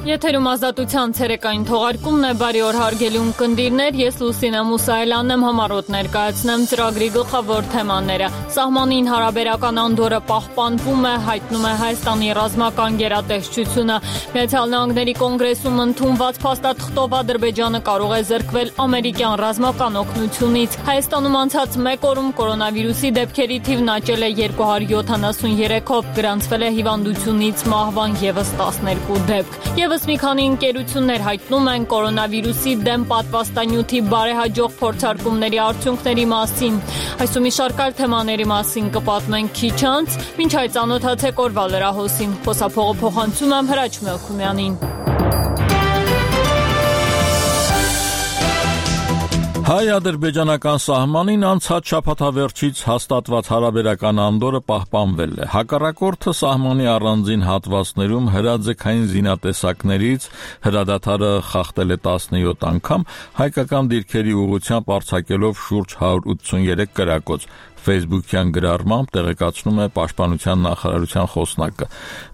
Եթերում ազատության ցերեկային թողարկումն է, բարի օր հարգելի ունկնդիրներ, ես Լուսինե Մուսայելյանն եմ, համառոտ ներկայացնեմ ծրագրի գլխավոր թեմաները։ Սահմանին հարաբերական անդորը պահպանվում է, հայտնում է Հայաստանի ռազմական գերատեսչությունը։ Միացյալ Նահանգների կոնգրեսում ընդունված փաստաթղթով Ադրբեջանը կարող է զրկվել ամերիկյան ռազմական օգնությունից։ Հայաստանում անցած մեկ օրում կորոնավիրուսի դեպքերի թիվն աճել է 273-ով, գրանցվել է հիվանդությունից մահվան ևս 12 դեպք։ Եվս մի քանի ընկերություններ հայտնում են կորոնավիրուսի դեմ պատվաստանյութի բարեհաջող փորձարկումների արդյունքների մասին։ Այս ու մի շարք այլ թեմաների մասին կպատմենք քիչ անց, մինչ այդ ծանոթացեք օրվա լրահոսին։ Խոսափողը փոխանցում եմ Հրաչ Մելքումյանին։ Հայ-ադրբեջանական սահմանին անցած շաբաթավերջից հաստատված հարաբերական անդորը պահպանվել է։ Հակառակորդը սահմանի առանձին հատվածներում հրաձգային զինատեսակներից հրադադարը խախտել է 17 անգամ, հայկական դիրքերի ուղղությամբ արձակելով շուրջ 183 կրակոց։ Facebook-յան գրառմամբ տեղեկացնում է Պաշտպանության նախարարության խոսնակը։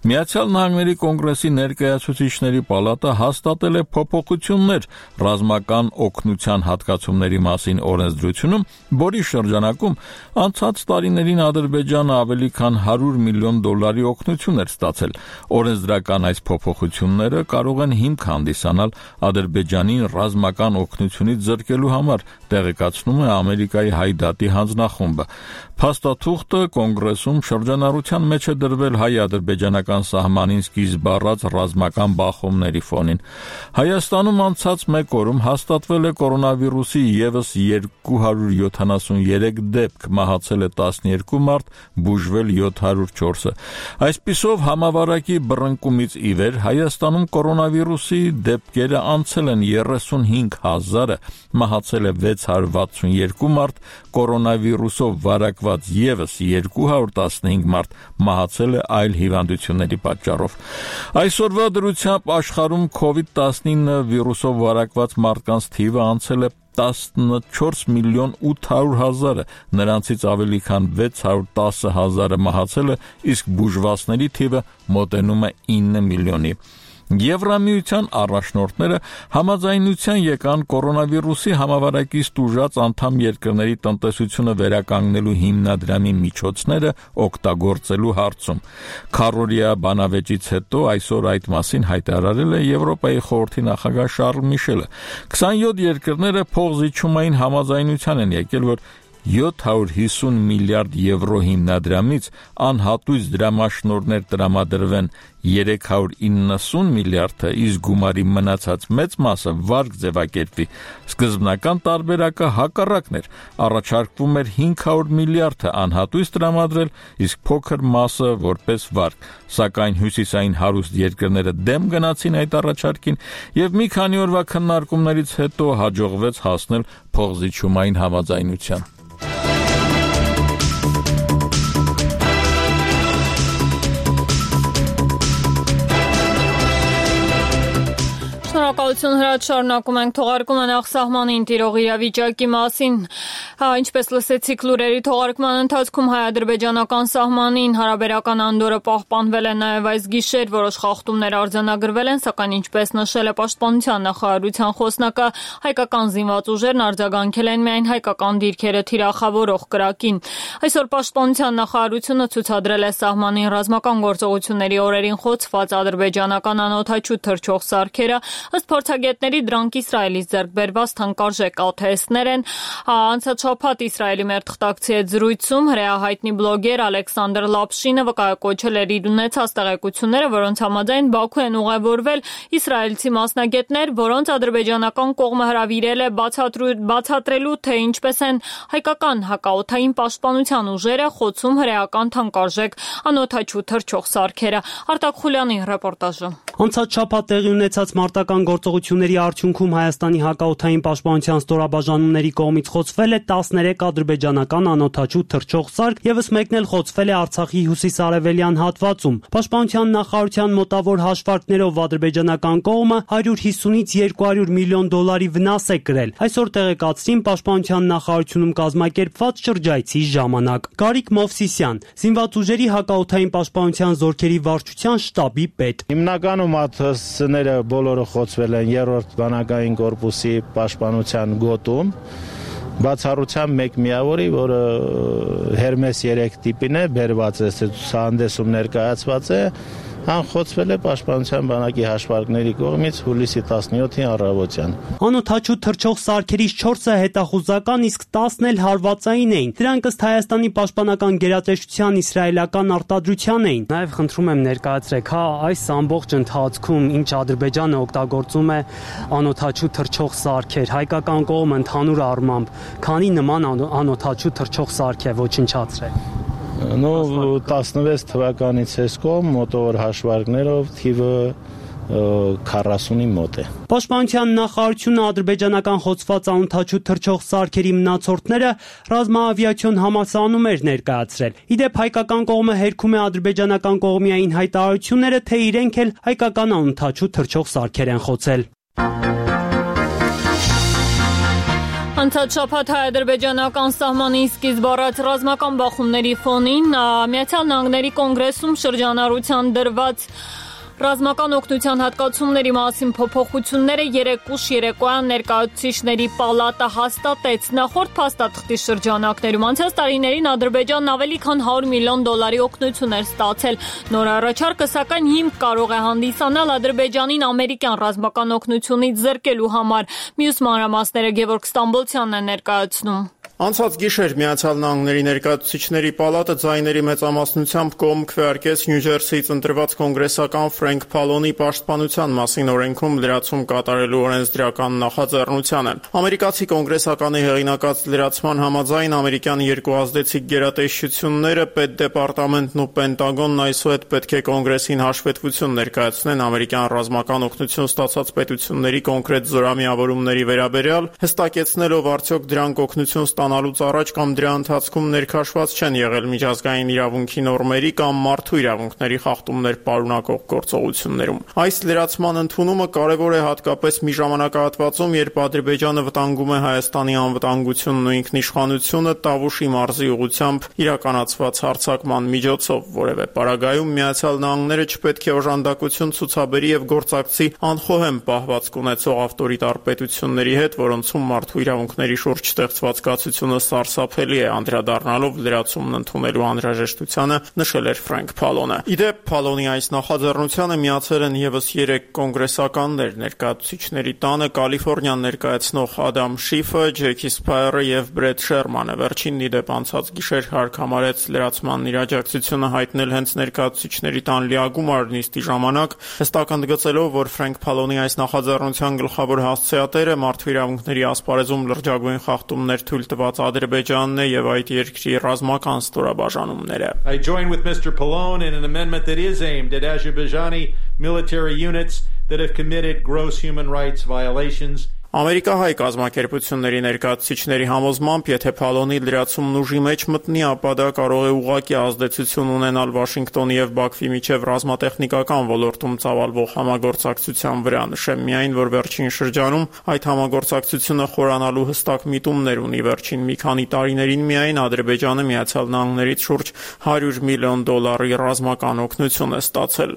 Միացյալ Նահանգների կոնգրեսի ներկայացուցիչների պալատը հաստատել է փոփոխություններ ռազմական օգնության հատկացումների մասին օրենսդրությունում, որի շրջանակում անցած տարիներին Ադրբեջանը ավելի քան $100 միլիոն օգնություն էր ստացել։ Օրենսդրական այս փոփոխությունները կարող են հիմք հանդիսանալ Ադրբեջանին ռազմական օգնությունից զրկելու համար, տեղեկացնում է Ամերիկայի Հայդատի հանձնախումբը։ Փաստաթուղթը կոնգրեսում շրջանառության մեջ է դրվել հայ-ադրբեջանական սահմանին սկիզբ առած ռազմական բախումների ֆոնին։ Հայաստանում անցած մեկ օրում հաստատվել է կորոնավիրուսի ևս 273 դեպք, մահացել է 12 մարդ, բուժվել 704-ը։ Այսպիսով համավարակի բռնկումից ի վեր Հայաստանում կորոնավիրուսի դեպքերը անցել են 35,000-ը, մահացել է 662 մարդ, կորոնավիրուսով վարակված ևս 215 մարդ, մահացել է այլ հիվանդությունների պատճառով։ Այսօրվա դրությամբ աշխարհում COVID-19 վիրուսով վարակված մարդկանց թիվը անցել է 14 միլիոն 800 հազարը, նրանցից ավելի քան 610 հազարը մահացել է, իսկ բուժվածների թիվը մոտենում է 9 միլիոնի։ Եվրամիության առաջնորդները համաձայնության եկան կորոնավիրուսի համավարակից տուժած անդամ երկրների տնտեսությունը վերականգնելու հիմնադրամի միջոցները օգտագործելու հարցում։ Քառօրյա բանավեճից հետո այսօր այդ մասին հայտարարել է Եվրոպայի խորհրդի նախագահ Շարլ Միշելը։ 27 երկրները փոխզիջումային համաձայնության են եկել, որ 750 միլիարդ եվրո հիմնադրամից անհատույց դրամաշնորհներ տրամադրվեն 390 միլիարդը, իսկ գումարի մնացած մեծ մասը վարկ ձևակերպվի։ Սկզբնական տարբերակը հակառակն էր, առաջարկվում էր 500 միլիարդը անհատույց տրամադրել, իսկ փոքր մասը որպես վարկ, սակայն հյուսիսային հարուստ երկրները դեմ գնացին այդ առաջարկին եւ մի քանի օրվա քննարկումներից հետո հաջողվեց հասնել փոխզիջումային համաձայնության։ Շնորհակալություն Հրաչ, շարունակում ենք թողարկումը նախ սահմանին տիրող իրավիճակի մասին։ Ինչպես լսեցիք լուրերի թողարկման ընթացքում հայ-ադրբեջանական սահմանին հարաբերական անդորը պահպանվել է նաև այս գիշեր, որոշ խախտումներ արձանագրվել են, սակայն ինչպես նշել է Պաշտպանության նախարարության խոսնակը, հայկական զինված ուժերն արձագանքել են միայն հայկական դիրքերը թիրախավորող կրակին։ Այսօր Պաշտպանության նախարարությունը ցուցադրել է սահմանին ռազմական գործողությունների օրերին խոցված ադրբեջանական անօդաչու թռչող սարքերը, ըստ փորձագետների դրանք Իսրայելից ձեռք բերված թանկարժեք ԱԹՍ-ներ են։ Անցած շաբաթ Իսրայելի մեր թղթակցի հետ զրույցում հրեահայտնի բլոգեր Ալեքսանդր Լապշինը վկայակոչել էր իր ունեցած տեղեկությունները, որոնց համաձայն Բաքու են ուղևորվել իսրայելցի մասնագետներ, որոնց ադրբեջանական կողմը հրավիրել է բացատրելու, թե ինչպես են հայկական հակաօդային պաշտպանության ուժերը խոցում հրեական թանկարժեք անօդաչու թռչող սարքերը։ Արտակ Խուլյանի ռեպորտաժը։ Անցած շաբաթ տեղի ունեցած մարտական գործողությունների արդյունքում Հայաստանի հակաօդային պաշտպանության ստորաբաժանումների կողմից խոցվել է 13 ադրբեջանական անօդաչու թռչող սարք, ևս մեկն էլ խոցվել է Արցախի հյուսիսարևելյան հատվածում։ Պաշտպանության նախարարության մոտավոր հաշվարկներով ադրբեջանական կողմը 150-ից 200 միլիոն դոլարի վնաս է կրել։ Այսօր տեղեկացրին պաշտպանության նախարարությունում կազմակերպված շրջայցի ժամանակ։ Գարիկ Մովսիսյան, Զինված ուժերի հակաօդային պաշտպանության զորքերի վարչության շտաբի պետ։ Հիմնականում ԱԹՍ-ները բոլորը խոցվել են 3-րդ բանակային կորպուսի պաշտպանության գոտում, բացառությամբ մեկ միավորի, որը Հերմես 3 տիպին է, բերված է, ցուցահանդեսում ներկայացված է, խոցվել է պաշտպանության բանակի հաշվարկների կողմից հուլիսի 17-ի առավոտյան։ Անօդաչու թռչող սարքերից 4-ը հետախուզական, իսկ 10-ն էլ հարվածային էին։ Դրանք ըստ Հայաստանի պաշտպանական գերատեսչության իսրայելական արտադրության էին։ Նաև խնդրում եմ ներկայացրեք, այս ամբողջ ընթացքում ինչ Ադրբեջանը օգտագործում է անօդաչու թռչող սարքեր, հայկական կողմը ընդհանուր առմամբ քանի նման անօդաչու թռչող սարք է ոչնչացրել։ 16 թվականից էսկոմ մոտավոր հաշվարկներով թիվը 40-ի մոտ է։ Պաշտպանության նախարարությունը ադրբեջանական խոցված անօդաչու թռչող սարքերի մնացորդները ռազմաավիացիոն համալսարանում էր ներկայացրել։ Իդեպ հայկական կողմը հերքում է ադրբեջանական կողմիային հայտարարությունները, թե իրենք էլ հայկական անօդաչու թռչող սարքեր են խոցել։ Անցած շաբաթ հայ-ադրբեջանական սահմանին սկիզբ առած ռազմական բախումների ֆոնին Միացյալ Նահանգների կոնգրեսում շրջանառության դրված ռազմական օգնության հատկացումների մասին փոփոխությունները երեկուշ երեկոյան ներկայացուցիչների պալատը հաստատեց։ Նախորդ փաստաթղթի շրջանակներում անցած տարիներին Ադրբեջանն ավելի քան 100 միլիոն դոլարի օգնություն էր ստացել։ Նոր առաջարկը սակայն հիմք կարող է հանդիսանալ Ադրբեջանին ամերիկյան ռազմական օգնությունից զրկելու համար։ Մյուս մանրամասները Գևորգ Ստամբոլցյանն է ներկայացնում։ Անցած գիշեր Միացյալ Նահանգների ներկայացուցիչների պալատը ձայների մեծամասնությամբ կողմ քվեարկեց Նյու Ջերսիից ընտրված կոնգրեսական Ֆրենկ Փալոնի պաշտպանության մասին օրենքում լրացում կատարելու օրենսդրական նախաձեռնությանը։ Ամերիկացի կոնգրեսականի հեղինակած լրացման համաձայն ամերիկյան երկու ազդեցիկ գերատեսչությունները, Պետդեպարտամենտն ու Պենտագոնն այսուհետ պետք է կոնգրեսին հաշվետվություն ներկայացնեն ամերիկյան ռազմական օգնություն ստացած պետությունների կոնկրետ զորամիավորումների վերաբերյալ, հստակեցնելով արդյոք դրանք օգնություն ստանալուց առաջ կամ դրա ընթացքում ներքաշված չեն եղել միջազգային իրավունքի նորմերի կամ մարդու իրավունքների խախտումներ պարունակող գործողություններում։ Այս լրացման ընդունումը կարևոր է հատկապես մի ժամանակահատվածում, երբ Ադրբեջանը վտանգում է Հայաստանի անվտանգությունն ու ինքնիշխանությունը Տավուշի մարզի ուղղությամբ իրականացված հարձակման միջոցով, որևէ պարագայում Միացյալ Նահանգները չպետք է օժանդակություն ցուցաբերի եւ գործակցի անխոհեմ պահվածք ունեցող ավտորիտար պետությունների հետ, որոնցում մարդու իրավունքների շուրջ ստեղծված կացությունը սարսափելի է, անդրադառնալով լրացումն ընդունելու անհրաժեշտությանը, նշել էր Ֆրենկ Փալոնը։ Իդեպ Փալոնի այս նախաձեռնությանը միացել են եւս 3 կոնգրեսականներ, ներկայացուցիչների տանը Կալիֆոռնիան ներկայացնող Ադամ Շիֆը, Ջեքի Սփայերը եւ Բրեդ Շերմանը։ Վերջինն իդեպ անցած գիշեր հարկ համարեց լրացման իրաջակցությունը հայտնել հենց ներկայացուցիչների տան լիագումար նիստի ժամանակ, հստակ ընդգծելով, որ Ֆրենկ Փալոնի այս նախաձեռնության գլխավոր հասցեատերը մարդու իրավունքների ասպարեզում լրջագույն խախտումներ թույլ տված Ադրբեջանն է եւ այդ երկրի ռազմական ստորաբաժանումները։ I join with Mr. Pallone in an amendment that is aimed at Azerbaijani military units that have committed gross human rights violations. Ամերիկահայ կազմակերպությունների ներկայացուցիչների համոզմամբ, եթե Փալոնի լրացումն ուժի մեջ մտնի, ապա դա կարող է ուղղակի ազդեցություն ունենալ Վաշինգտոնի եւ Բաքվի միջև ռազմատեխնիկական ոլորտում ծավալվող համագործակցության վրա։ Նշեմ միայն, որ վերջին շրջանում այդ համագործակցությունը խորանալու հստակ միտումներ ունի։ Վերջին մի քանի տարիներին միայն Ադրբեջանը Միացյալ Նահանգներից շուրջ $100 միլիոն ռազմական օգնություն է ստացել։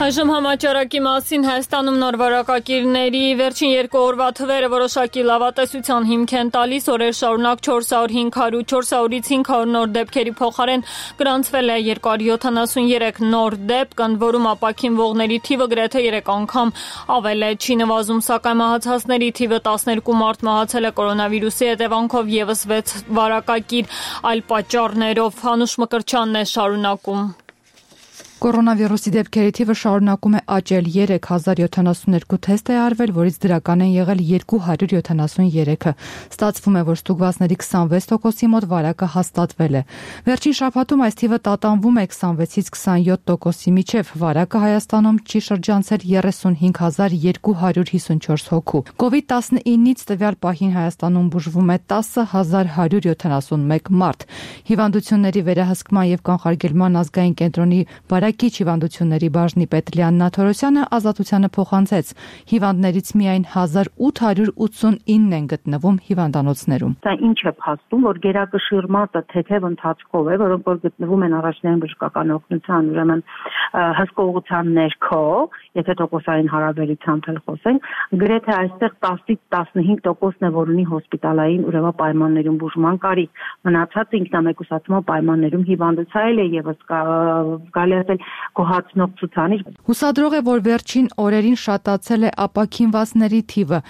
Այժմ համաճարակի մասին Հայաստանում նոր վարակակիրների վերջին 2 օրվա թվերը որոշակի լավատեսության հիմք են տալիս։ Օրեր շարունակ 400-500, 400-ից 500 նոր դեպքերի փոխարեն գրանցվել է 273 նոր դեպք, ընդ որում ապաքինվողների թիվը գրեթե 3 անգամ ավել է։ Չի նվազում, սակայն մահացածների թիվը 12 մարդ մահացել է կորոնավիրուսի հետևանքով, եւս 6 վարակակիր այլ պատճառներով։ Անուշ Մկրտչյանն է շարունակում։ Կորոնավիրուսի դեպքերի թիվը շարունակում է աճել, 3072 թեստ է արվել, որից դրական են եղել 273-ը։ Ստացվում է, որ ստուգվածների 26%-ի մոտ վարակը հաստատվել է։ Վերջին շաբաթում այս թիվը տատանվում է 26-ից 27%-ի միջև, վարակը Հայաստանում չի շրջանցել 35254 հոգու։ COVID-19-ից տվյալ պահին Հայաստանում բուժվում է 10171 մարդ։ Հիվանդությունների վերահսկման եւ կանխարգելման ազգային կենտրոնի Բարակիչ հիվանդությունների բաժնի պետ Լիաննա Թորոսյանը Ազատությանը փոխանցեց. հիվանդներից միայն 1889 են գտնվում հիվանդանոցներում։ Դա ինչ է փաստում, որ գերակշիռ մատը թեթև ընթացքով է, որոնք որ գտնվում են առաջնային բժշկական օգնության, ուրեմն հսկողության ներքո, եթե տոկոսային հարաբերությամբ էլ խոսենք, գրեթե այստեղ 10-ից 15%-ն է, որ ունի հոսպիտալային ուրեմն պայմաններում բուժման կարիք, մնացածը ինքնամեկուսացման պայմաններում հիվանդացել է եւս գալի գոհացնող ցուցանիշ։ Հուսադրող է, որ վերջին օրերին շատացել է ապաքինվածների թիվը,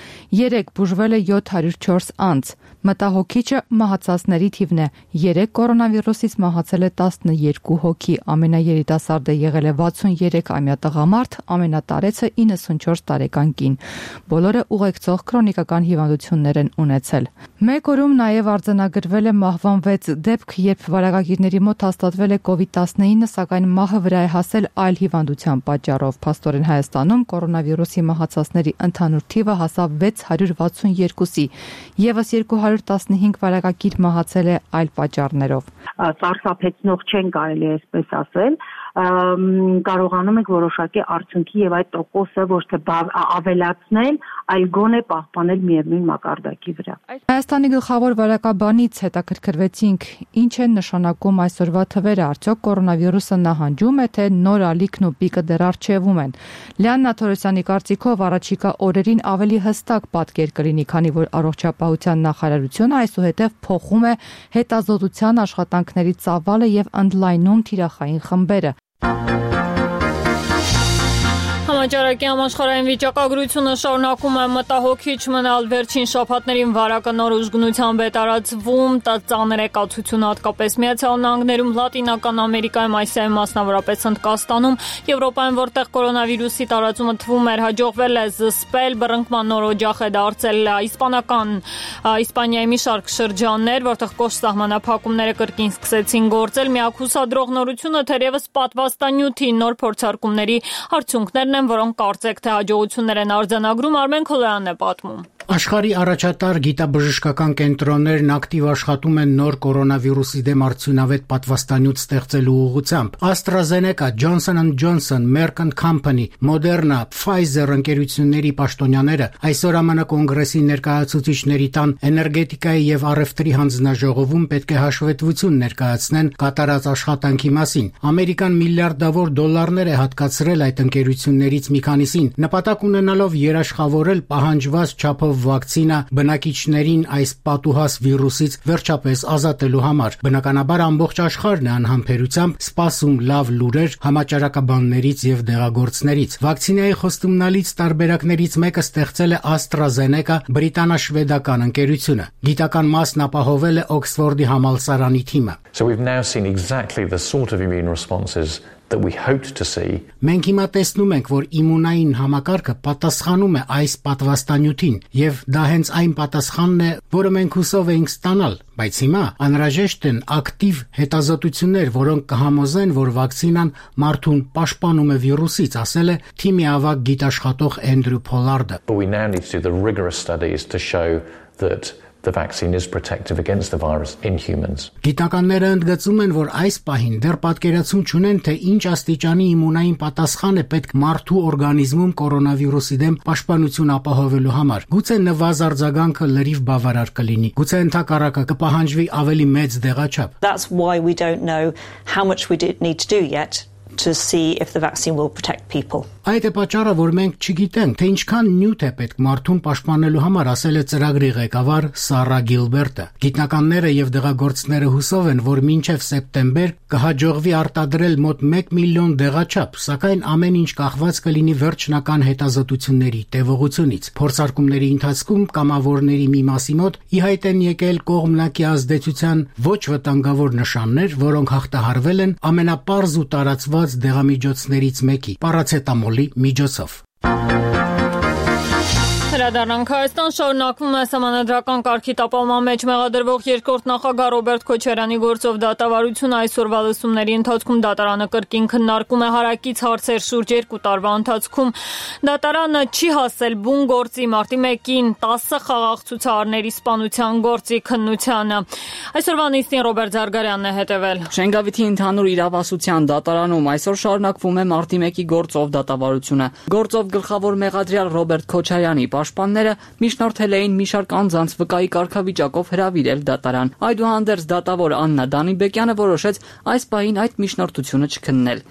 3 բուժվել է 704 անձ։ Մտահոգիչը մահացածների թիվն է, 3 կորոնավիրուսից մահացել է 12 հոգի, ամենաերիտասարդը եղել է 63-ամյա տղամարդ, ամենատարեցը 94 տարեկան կին։ Բոլորը ուղեկցող քրոնիկական հիվանդություններ են ունեցել։ Մեկ օրում նաև արձանագրվել է մահվան 6 դեպք, երբ վարակագիրների մոտ հաստատվել է COVID-19, սակայն մահը վրա է հասել այլ հիվանդության պատճառով։ Փաստորեն Հայաստանում կորոնավիրուսի մահացածների ընդհանուր թիվը հասավ 662-ի, եւս 215 վարակագիր մահացել է այլ պատճառներով։ Սարսափեցնող չեն կարելի այսպես ասել, կարողանում ենք որոշակի արդյունքի եւ այդ տոկոսը ոչ թե ավելացնել, այլ գոնե պահպանել միևնույն մակարդակի վրա։ Հայաստանի գլխավոր վարակաբանից հետաքրքրվեցինք, ինչ են նշանակում այսօրվա թվերը, արդյոք կորոնավիրուսը նահանջում է, թե նոր ալիքն ու պիկը դեռ առջևում են։ Լիաննա Թորոսյանի կարծիքով առաջիկա օրերին ավելի հստակ պատկեր կլինի, քանի որ առողջապահության նախարարությունը այսուհետև փոխում է հետազոտության աշխատանքների ծավալը եւ ընդլայնում թիրախային խմբերը։ Համաճարակի համաշխարհային վիճակագրությունը շարունակում է մտահոգիչ մնալ, վերջին շաբաթներին վարակը նոր ուժգնությամբ է տարածվում, ծանր է կացությունը հատկապես Միացյալ Նահանգներում, Լատինական Ամերիկայում, Ասիայում, մասնավորապես Հնդկաստանում, Եվրոպայում, որտեղ կորոնավիրուսի տարածումը թվում էր հաջողվել է զսպել, բռնկման նոր օջախ է դարձել Իսպանիայի մի շարք շրջաններ, որտեղ կոշտ սահմանափակումները կրկին սկսեցին գործել, միակ հուսադրող նորությունը թերևս պատվաստանյութի նոր փորձարկումների արդյունքներն են, որոնք կարծեք թե հաջողություններ են արձանագրում, Արմեն Քոլոյանն է պատմում։ Աշխարհի առաջատար գիտաբժշկական կենտրոններն ակտիվ աշխատում են նոր կորոնավիրուսի դեմ արդյունավետ պատվաստանյութ ստեղծելու ուղղությամբ։ AstraZeneca, Johnson & Johnson, Merck & Company, Moderna, Pfizer ընկերությունների պաշտոնյաները այսօր ԱՄՆ կոնգրեսի ներկայացուցիչների տան էներգետիկայի եւ առևտրի հանձնաժողովում պետք է հաշվետվություն ներկայացնեն կատարած աշխատանքի մասին։ Ամերիկան միլիարդավոր դոլարներ է հատկացրել այդ ընկերություններից մի քանիսին, նպատակ ունենալով երաշխավորել պահանջված չափով վակցինա բնակիչներին այս պատուհաս վիրուսից վերջապես ազատելու համար։ Բնականաբար ամբողջ աշխարհն է անհամբերությամբ սպասում լավ լուրեր համաճարակաբաններից եւ դեղագործներից։ Վակցինայի խոստումնալից տարբերակներից մեկը ստեղծել է AstraZeneca բրիտանա-շվեդական ընկերությունը։ Գիտական մասն ապահովել է Օքսֆորդի համալսարանի թիմը։ So we've now seen exactly the sort of immune responses that we hoped to see. Մենք հիմա տեսնում ենք, որ իմունային համակարգը պատասխանում է այս պատվաստանյութին, եւ դա հենց այն պատասխանն է, որը մենք հուսով էինք ստանալ, բայց հիմա անհրաժեշտ են ակտիվ հետազոտություններ, որոնք կհամոզեն, որ վակցինան մարդուն պաշտպանում է վիրուսից, ասել է թիմի ավագ գիտաշխատող Էնդրյու Փոլարդը։ But we now need to do the rigorous studies to show that the vaccine is protective against the virus in humans. Գիտնականները ընդգծում են, որ այս պահին դեռ պատկերացում չունեն, թե ինչ աստիճանի իմունային պատասխան է պետք մարդու օրգանիզմում կորոնավիրուսի դեմ պաշտպանություն ապահովելու համար։ Գուցե նվազ արձագանքը լրիվ բավարար կլինի, գուցե ընդհակառակը կպահանջվի ավելի մեծ դեղաչափ։ That's why we don't know how much we need to do yet to see if the vaccine will protect people. Այդ է պատճառը, որ մենք չգիտենք, թե ինչքան նյութ է պետք մարդուն պաշտպանելու համար, ասել է ծրագրի ղեկավար Սարա Գիլբերտը։ Գիտնականները եւ դեղագործները հուսով են, որ մինչեւ սեպտեմբեր կհաջողվի արտադրել մոտ 1 միլիոն դեղաչափ, սակայն ամեն ինչ կախված կլինի վերջնական հետազոտությունների տևողությունից։ Փորձարկումների ընթացքում կամավորների մի մասի մոտ ի հայտ են եկել կողմնակի ազդեցության ոչ վտանգավոր նշաններ, որոնք հաղթահարվել են ամենապարզ ու տարածված դեղամիջոցներից մեկի՝ պարացետամոլի միջոցով։ Հրադառնանք Հայաստան շարունակվում է սահմանադրական կարգի տապալման մեջ մեղադրվող երկրորդ նախագահ Ռոբերտ Քոչարյանի գործով դատավարությունը այսօրվա լսումների ընթացքում դատարանը կրկին քննարկում է հարակից հարցեր շուրջ 2 տարվա ընթացքում դատարանը չի հասել բուն գործի մարտի 1-ին 10 խաղաղ ցուցարարների սպանության գործի քննությանը այսօրվա նիստին Ռոբերտ Զարգարյանն է հետևել Շենգավիթի ընդհանուր իրավասության դատարանում այսօր շարունակվում է մարտի 1-ի գործով դատավարությունը գործով գլխավոր մեղադրյալ Ռոբերտ Քոչարյանի Պաշտպանները միջնորդել էին մի շարք անձանց վկայի կարգավիճակով հրավիրել դատարան։ Այդուհանդերձ դատավոր Աննա Դանիբեկյանը որոշեց այս պահին այդ միջնորդությունը չքննել։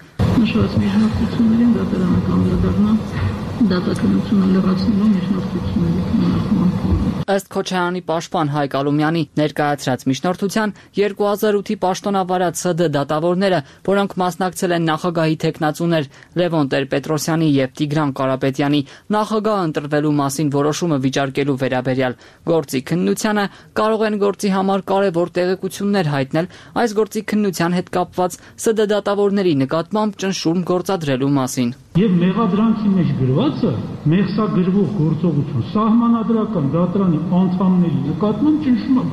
Նշված միջնորդություններին դատարանը կանդրադառնա դատաքննությունը լրացնելու միջնորդությունների քննարկման փուլում։ Ըստ Քոչարյանի պաշտպան Հայկ Ալումյանի ներկայացրած միջնորդության 2008-ի պաշտոնավարած ՍԴ դատավորները, որոնք մասնակցել են նախագահի թեկնածուներ Լևոն Տեր-Պետրոսյանի եւ Տիգրան Կարապետյանի նախագահ ընտրվելու մասին որոշումը վիճարկելու վերաբերյալ գործի քննությանը կարող են գործի համար կարևոր տեղեկություններ հայտնել այս գործի քննության հետ կապված ՍԴ դատավորների նկատմամբ ճնշում գործադրելու մասին։ Եվ մեղադրանքի մեջ գրվածը մեղսագրվող գործողություն սահմանադրական դատարանի անդամների նկատմամբ ճնշում է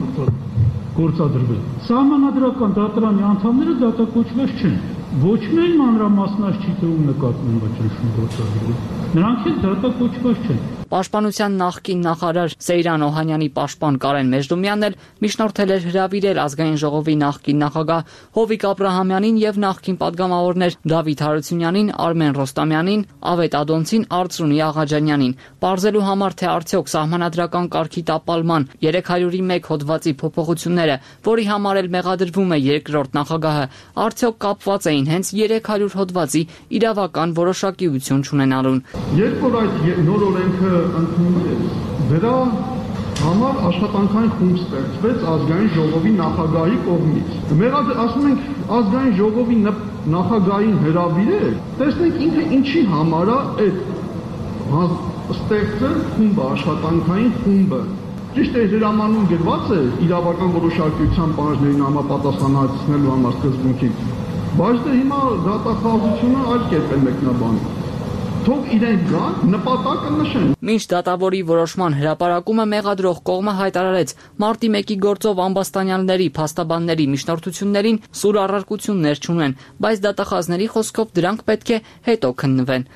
գործադրվել։ Սահմանադրական դատարանի անդամները դատակոչված չեն։ Ոչ միայն մանրամասնаж չի թվում նկատմամբ ճնշում գործադրվել։ Նրանք էլ դատակոչված չեն։ Պաշտպանության նախկին նախարար Սեյրան Օհանյանի պաշտպան Կարեն Մեժդումյանն էլ միջնորդել էր հրավիրել ազգային ժողովի նախկին նախագահ Հովիկ Աբրահամյանին եւ նախկին падգամավորներ Դավիթ Հարությունյանին, Արմեն Ռոստամյանին, Ավետ Ադոնցին, Արծրունի Աղաջանյանին, պարզելու համար թե արդյոք սահմանադրական կարգի տապալման 301 հոդվածի փոփոխությունները, որի համար էլ մեղադրվում է երկրորդ նախագահը, արդյոք կապված էին հենց 300 հոդվածի իրավական որոշակիություն չունենալուն։ Երբ որ այդ նոր օրենքը ընդունվեց, դրա համար աշխատանքային խումբ ստեղծվեց ազգային ժողովի նախագահի կողմից։ Մենք ասում ենք ազգային ժողովի նախագահին հրավիրել, տեսնենք ինքը ինչի համար է այդ ստեղծել խումբը, աշխատանքային խումբը։ Ճիշտ է, հրամանում գրված է իրավական որոշակիության պահանջներին համապատասխանեցնելու համար սկզբունքին, բայց դե հիմա դատախազությունը այլ կերպ է մեկնաբանում։ Թող իրենք գան, նպատակը նշեն։ Մինչ դատավորի որոշման հրապարակումը մեղադրող կողմը հայտարարեց մարտի 1-ի գործով ամբաստանյալների, փաստաբանների միջնորդություններին սուր առարկություններ չունեն, բայց դատախազների խոսքով դրանք պետք է հետո քննվեն։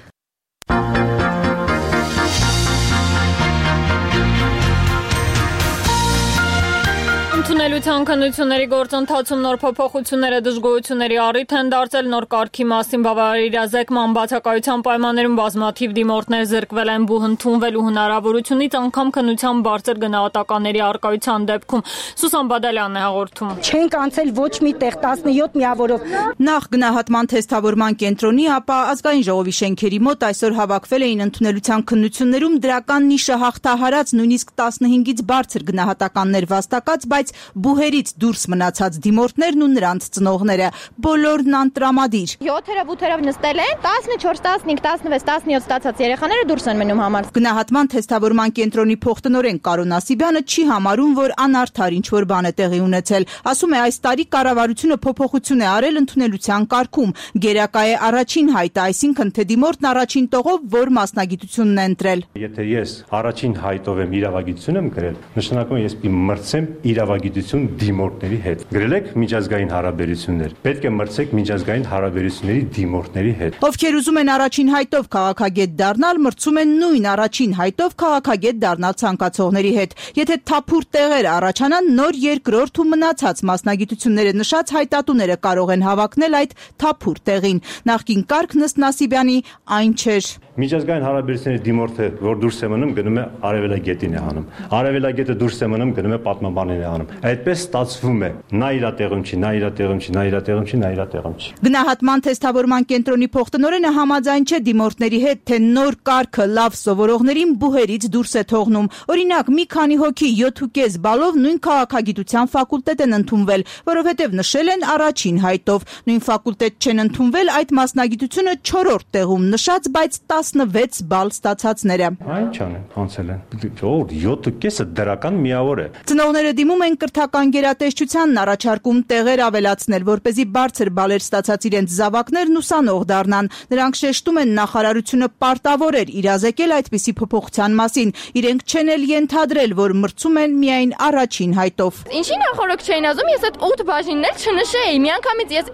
Ընդունելության քննությունների գործընթացում նոր փոփոխությունները դժգոհությունների առիթ են դարձել նոր կարգի մասին բավարար իրազեկման բացակայության պայմաններում բազմաթիվ դիմորդներ զրկվել են բուհ ընդունվելու հնարավորությունից անգամ քննության բարձր գնահատականների առկայության դեպքում Սուսան Բադալյանն է հաղորդում Չենք անցել ոչ մի տեղ 17 միավորով նախ գնահատման թեստավորման կենտրոնի ապա ազգային ժողովի շենքերի մոտ այսօր հավաքվել էին ընդունելության քննություններում դրական նիշը հաղթահարած նույնիսկ 15-ից բարձր գնահատականներ վաստակած բայց բուհերից դուրս մնացած դիմորդներն ու նրանց ծնողները բոլորն անտրամադիր 7-երով 8-երով նստել են 14, 15, 16, 17 ստացած երեխաները դուրս են մնում համար Գնահատման թեստավորման կենտրոնի փոխտնօրեն Կարոն Ասիբյանը չի համարում որ անարդար ինչ որ բան է տեղի ունեցել ասում է այս տարի կառավարությունը փոփոխություն է արել ընդունելության կարգում գերակա է առաջին հայտը այսինքն թե դիմորդն առաջին տողով որ մասնագիտությունն է ընտրել Եթե ես առաջին հայտով եմ իրավագիտություն եմ գրել նշանակում է ես մրցեմ իրավագիտություն դիմորդների հետ։ Գրել եք միջազգային հարաբերություններ։ Պետք է մրցեք միջազգային հարաբերությունների դիմորդների հետ։ Ովքեր ուզում են առաջին հայտով քաղաքագետ դառնալ, մրցում են նույն առաջին հայտով քաղաքագետ դառնալ ցանկացողների հետ։ Եթե թափուր տեղեր առաջանան, նոր երկրորդ ու մնացած մասնագիտությունները նշած հայտատուները կարող են հավակնել այդ թափուր տեղին։ Նախկին կարգն ըստ Նասիբյանի այն չէր։ Միջազգային հարաբերությունների դիմորդը, որ դուրս է մնում, գնում է արևելագետին է անում։ Արևելագետը դուրս է մնում, գնում է պատմաբանին է անում։ Այդպես ստացվում է։ Նա իր տեղում չի, նա իր տեղում չի, նա իր տեղում չի, նա իր տեղում չի։ Գնահատման թեստավորման կենտրոնի փոխտնօրենը համաձայն չէ դիմորդների հետ, թե նոր կարգը լավ սովորողներին բուհերից դուրս է թողնում։ Օրինակ, մի քանի հոգի 7.5 բալով նույն քաղաքագիտության ֆակուլտետ են ընդունվել, որովհետև նշել են առաջին հայտով։ Նույն ֆակուլտետ չեն ընդունվել այդ մասնագիտությունը 4-րդ տեղում նշած, բայց 16 բալ ստացածները։ Այն չանեն, անցել են։ 7.5-ը դրական միավոր է։ Ծնողները դիմում են կրթական գերատեսչությանն, առաջարկում տեղեր ավելացնել, որպեսզի բարձր բալեր ստացած իրենց զավակներն ուսանող դառնան։ Նրանք շեշտում են, նախարարությունը պարտավոր էր իրազեկել այդպիսի փոփոխության մասին։ Իրենք չեն էլ ենթադրել, որ մրցում են միայն առաջին հայտով։ Ինչի նախորդ չէին ասում, ես այդ 8 բաժիններ չնշեի։ Միանգամից ես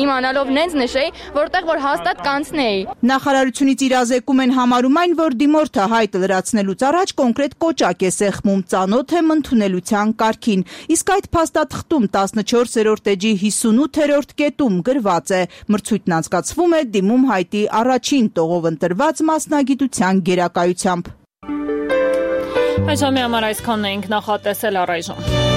իմանալով նենց նշեի, որտեղ որ հաստատ կանցնեի։ Նախարարությունից իրազեկում են համարում այն, որ դիմորդը հայտը լրացնելուց առաջ կոնկրետ կոճակ է սեղմում, ծանոթ է ընդունելության կարգին։ Իսկ այդ փաստաթղթում 14-րդ էջի 58-րդ կետում գրված է. մրցույթն անցկացվում է դիմում հայտի առաջին տողով ընտրված մասնագիտության գերակայությամբ։ Այժմ համար այսքանն էինք նախատեսել առայժմ։